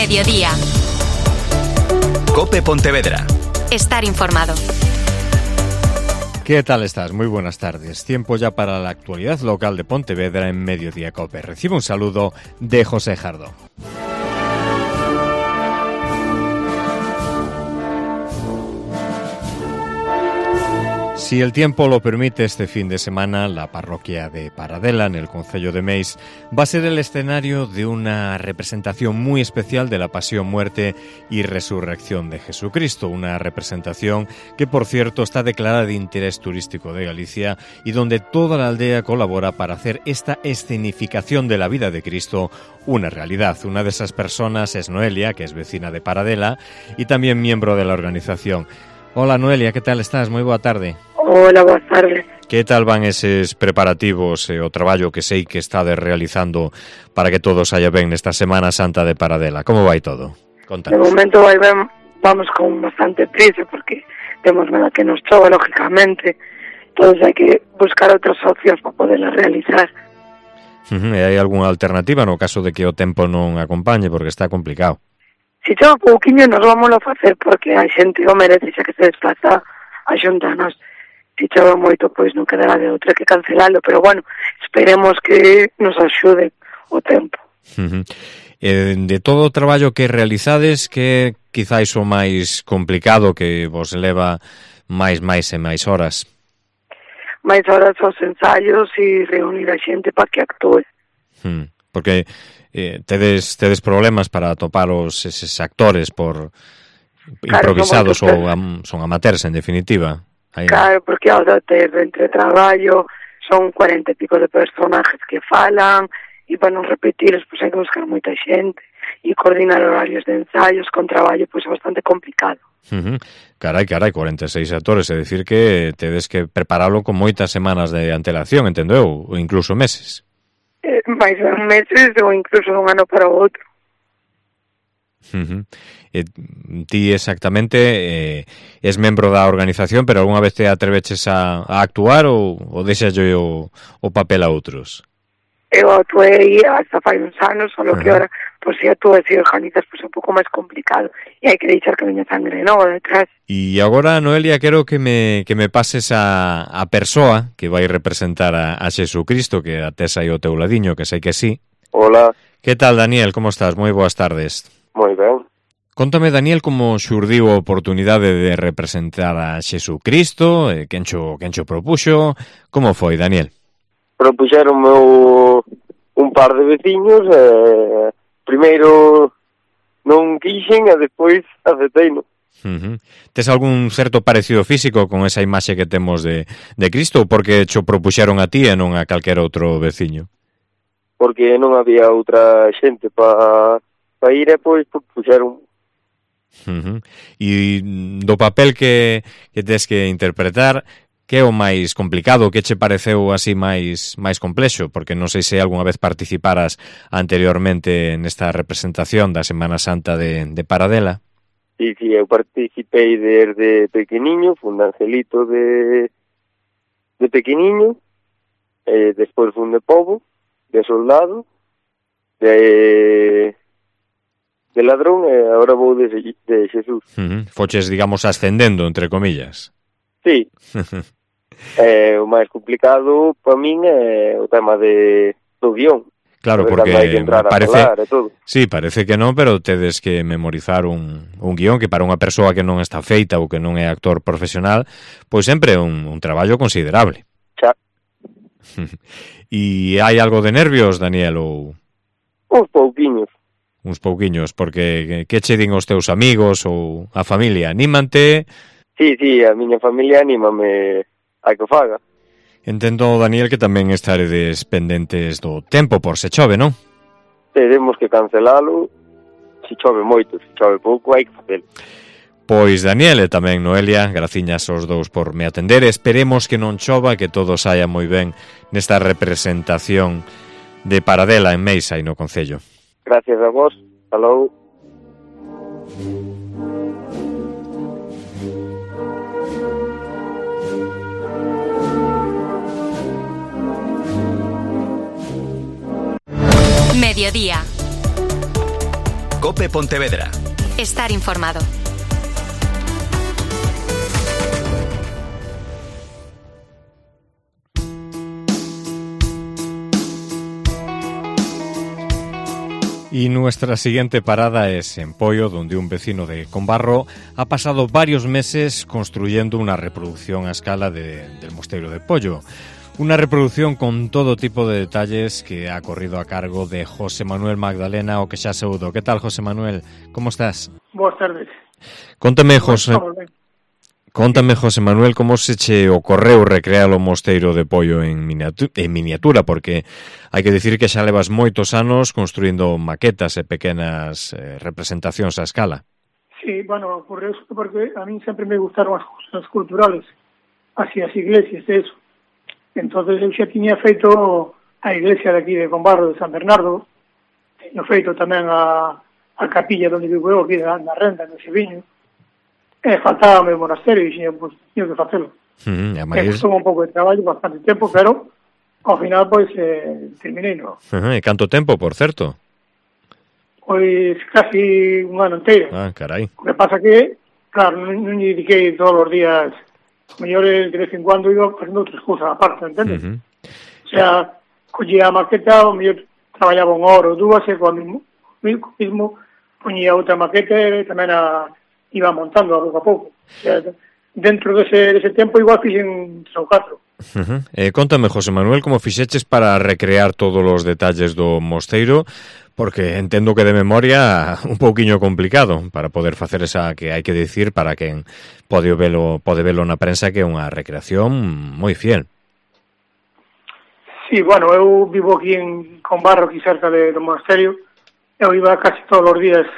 Mediodía. COPE Pontevedra. Estar informado. ¿Qué tal estás? Muy buenas tardes. Tiempo ya para la actualidad local de Pontevedra en Mediodía COPE. Recibe un saludo de José Jardón. Si el tiempo lo permite, este fin de semana la parroquia de Paradela, en el concello de Meis, va a ser el escenario de una representación muy especial de la pasión, muerte y resurrección de Jesucristo. Una representación que, por cierto, está declarada de interés turístico de Galicia y donde toda la aldea colabora para hacer esta escenificación de la vida de Cristo una realidad. Una de esas personas es Noelia, que es vecina de Paradela y también miembro de la organización. Hola Noelia, ¿qué tal estás? Moi boa tarde. Hola, boas tardes. Que tal van eses preparativos e o traballo que sei que estades realizando para que todo saia ben nesta Semana Santa de Paradela? Como vai todo? Contanos. De momento vai ben, vamos con bastante prisa porque temos medo que nos chova, lógicamente. Entonces hai que buscar outras opcións para poderlas realizar. E hai algunha alternativa no caso de que o tempo non acompañe, porque está complicado? Si chova pouquiño nos vamos a facer porque a xente o merece xa que se desplaza a xuntarnos. Si chova moito, pois non quedará de outra que cancelalo, pero bueno, esperemos que nos axude o tempo. De todo o traballo que realizades, que quizáis o máis complicado que vos leva máis e máis horas? Mais horas os ensaios e reunir a xente para que actúe. Porque tedes problemas para atopar eses actores por improvisados ou son amateurs, en definitiva. Claro, porque ao ter entre traballo son 40 e pico de personajes que falan e para non repetirlos pois hai que buscar moita xente e coordinar horarios de ensaios con traballo pois é bastante complicado. Carai, 46 actores, é dicir que tedes que preparalo con moitas semanas de antelación, entendo eu, ou incluso meses. Mais meses ou incluso un ano para o outro. Ti exactamente és membro da organización, pero algunha vez te atreveches a actuar ou deixalle o papel a outros? Eu actuei hasta fai uns anos, solo que ahora, pois, se actúas e organizas, pois é un pouco máis complicado e hai que deixar que veña sangre nova detrás. E agora, Noelia, quero que me pases a persoa que vai representar a Xesucristo, que atés aí o teu ladiño, que sei que sí. Hola. Que tal, Daniel? Como estás? Moi boas tardes. Moi ben. Contame, Daniel, como xurdiu a oportunidade de representar a Xesucristo, quen cho propuxo, como foi, Daniel? Propuxeronme un par de veciños, primeiro non quixen e despois acepteino. Tes algún certo parecido físico con esa imaxe que temos de Cristo, ou porque cho propuxeron a ti e non a calquera outro veciño? Porque non había outra xente para ir e pois propuxeron. E do papel que tes que interpretar, que é o máis complicado, que che pareceu así máis complexo? Porque non sei se algunha vez participaras anteriormente nesta representación da Semana Santa de Paradela. Sí, eu participei desde pequeniño, fun de angelito de pequeniño, despois fun de pobo, de soldado, de ladrón, e agora vou de Jesús. Foches, digamos, ascendendo, entre comillas. Sí. O máis complicado para min é o tema do guión. Claro, porque parece que non, pero tedes que memorizar un guión que para unha persoa que non está feita ou que non é actor profesional, pois sempre é un traballo considerable. Xa. E hai algo de nervios, Daniel, ou? Uns pouquiños, porque que che din os teus amigos ou a familia? Anímante? Sí, a miña familia anímame a que faga. Entendo, Daniel, que tamén estaredes pendentes do tempo por se chove, non? Teremos que cancelalo se chove moito, se chove pouco hai que facelo. Pois, Daniel e tamén Noelia, graciñas aos dous por me atender. Esperemos que non chova, que todo saia moi ben nesta representación de Paradela en Meis, aí no concello. Gracias a vos. Hasta logo. Mediodía. COPE Pontevedra. Estar informado. Y nuestra siguiente parada es en Poio, donde un vecino de Combarro ha pasado varios meses construyendo una reproducción a escala del Mosteiro de Poio. Una reproducción con todo tipo de detalles que ha corrido a cargo de José Manuel Magdalena, o que xa saúdo. ¿Qué tal, José Manuel? ¿Cómo estás? Boas tardes. Cóntame, José Manuel, como se che ocorreu recrear o Mosteiro de Poio en miniatura, porque hai que dicir que xa levas moitos anos construindo maquetas e pequenas representacións a escala. Sí, bueno, ocurreu porque a mí sempre me gustaron as cousas culturales, así as iglesias e eso. Entonces eu xa tiña feito a iglesia de aquí de Combarro de San Bernardo, teño feito tamén a capilla onde vivo eu, aquí na Renda, no Seviño. Faltaba o monasterio e pues, tinha que facelo. Costou un pouco de traballo, bastante tempo, pero ao final, pois, terminei, no? E canto tempo, por certo? Pois casi un ano inteiro. Ah, carai. O que pasa que, claro, non lle dediquei todos os días, mellor de vez en cuando iba facendo outras cousas aparte, entendes? O sea, collía a maqueta, o mellor traballaba unha hora ou dúas, e cuando mismo poñía outra maqueta e tamén iba montando a pouco a pouco. O sea, dentro dese tempo igual fixen 3 ou 4. Contame, José Manuel, como fixeches para recrear todos os detalles do mosteiro, porque entendo que de memoria un pouquiño complicado para poder facer esa, que hai que dicir para quen pode velo na prensa, que é unha recreación moi fiel. Sí, bueno, eu vivo aquí en Combarro, aquí cerca do monasterio. Eu iba casi todos os días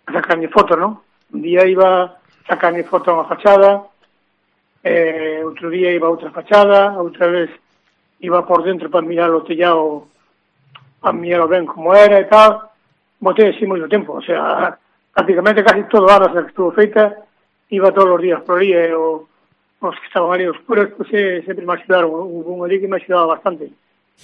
a sacarme fotos, non? Un día iba a sacarme foto a unha fachada, outro día iba a outra fachada, outra vez iba por dentro para mirar o tellado, para mirarlo ben como era e tal. Botei así moito tempo, o sea, prácticamente casi todo a que estuvo feita, iba todos os días por aí, e os que estaban ali, os curas, pues, sempre me axudaron, hubo un ali que me axudaba bastante.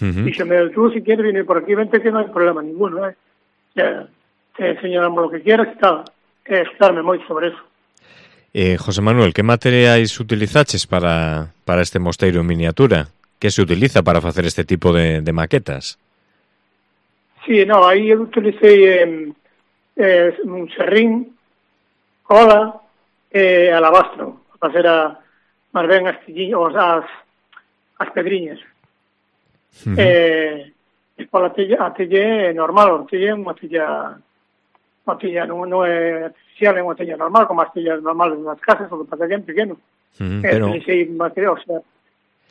Díxome, tú si quieres venir por aquí, vente que non hai problema ninguno, o sea, te enseñamos lo que quieras e tal. Estarme moito sobre eso. José Manuel, que materiais utilizaches para este mosteiro en miniatura? Que se utiliza para facer este tipo de maquetas? Sí, no, aí eu utilicei un serrín, cola e alabastro para facer máis ben as pedriñas. E pola a tella normal, a tella é unha tella non é artificial, é unha tella normal, como as tellas normales das casas, o que pasa que é pequeno. Utilicei material, o sea,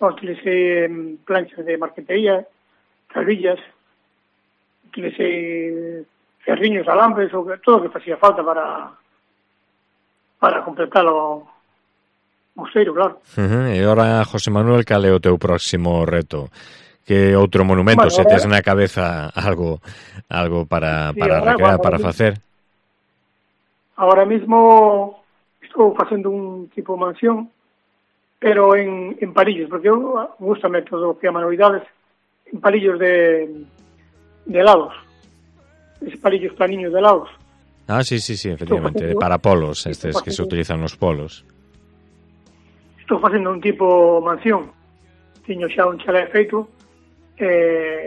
utilicei planchas de marquetería, calvillas, utilicei ferriños, alambres, todo o que facía falta para completar o mosteiro, claro. E ora, José Manuel, cal é o teu próximo reto? Que outro monumento, se tes na cabeza algo para recrear, para facer? Ahora mismo estou facendo un tipo de mansión, pero en palillos, porque eu gustame todo o que é manualidades, en palillos de helados, esos palillos planiños de helados. Ah, sí, efectivamente, para polos, estes que se utilizan nos polos. Estou facendo un tipo mansión, tiño xa un chalé feito,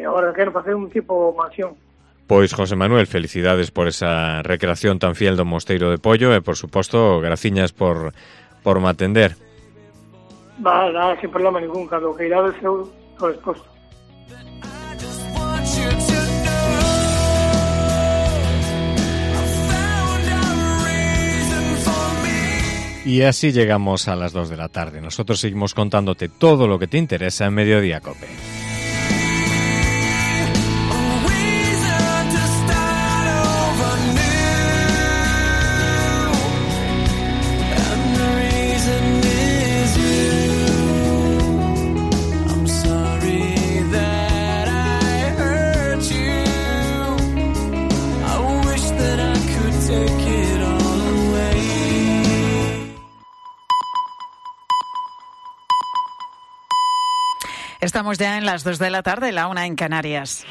agora quero facer un tipo mansión. Pois, José Manuel, felicidades por esa recreación tan fiel do Mosteiro de Poio e, por suposto, graciñas por me atender. Nada, sin problema ningún, cando que irades eu estou disposto. Y así llegamos a las 2 de la tarde. Nosotros seguimos contándote todo lo que te interesa en Mediodía Cope. Estamos ya en las 2 de la tarde, la 1 en Canarias.